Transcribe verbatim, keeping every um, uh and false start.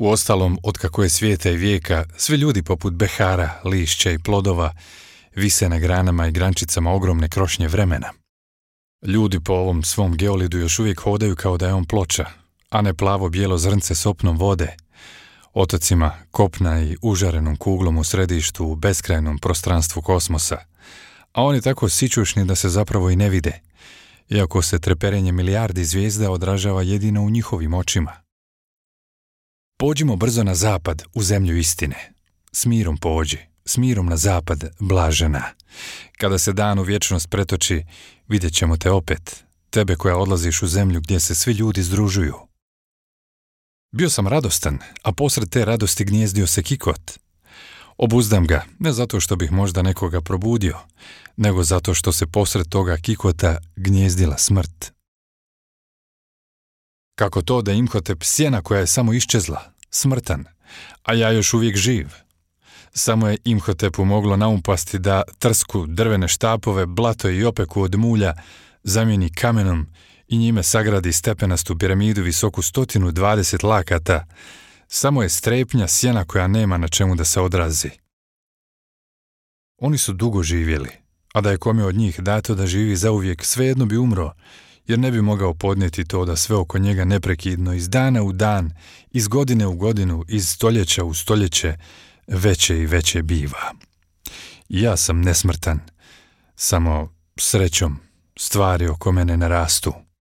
Uostalom, otkako je svijeta i vijeka, svi ljudi poput behara, lišća i plodova vise na granama i grančicama ogromne krošnje vremena. Ljudi po ovom svom geolidu još uvijek hodaju kao da je on ploča, a ne plavo-bijelo zrnce s opnom vode, otocima kopna i užarenom kuglom u središtu u beskrajnom prostranstvu kosmosa, a oni tako sićušni da se zapravo i ne vide, iako se treperenje milijardi zvijezda odražava jedino u njihovim očima. Pođimo brzo na zapad, u zemlju istine. S mirom pođi, s mirom na zapad, blažena. Kada se dan u vječnost pretoči, vidjet ćemo te opet, tebe koja odlaziš u zemlju gdje se svi ljudi združuju. Bio sam radostan, a posred te radosti gnjezdio se kikot. Obuzdam ga, ne zato što bih možda nekoga probudio, nego zato što se posred toga kikota gnjezdila smrt. Kako to da Imhotep sjena koja je samo iščezla, smrtan, a ja još uvijek živ? Samo je Imhotepu moglo naumpasti da trsku, drvene štapove, blato i opeku od mulja zamijeni kamenom i njime sagradi stepenastu piramidu visoku stotinu dvadeset lakata. Samo je strepnja sjena koja nema na čemu da se odrazi. Oni su dugo živjeli, a da je kome od njih dato da živi zauvijek, svejedno bi umro, jer ne bi mogao podnijeti to da sve oko njega neprekidno, iz dana u dan, iz godine u godinu, iz stoljeća u stoljeće, veće i veće biva. Ja sam nesmrtan, samo srećom stvari oko mene ne rastu.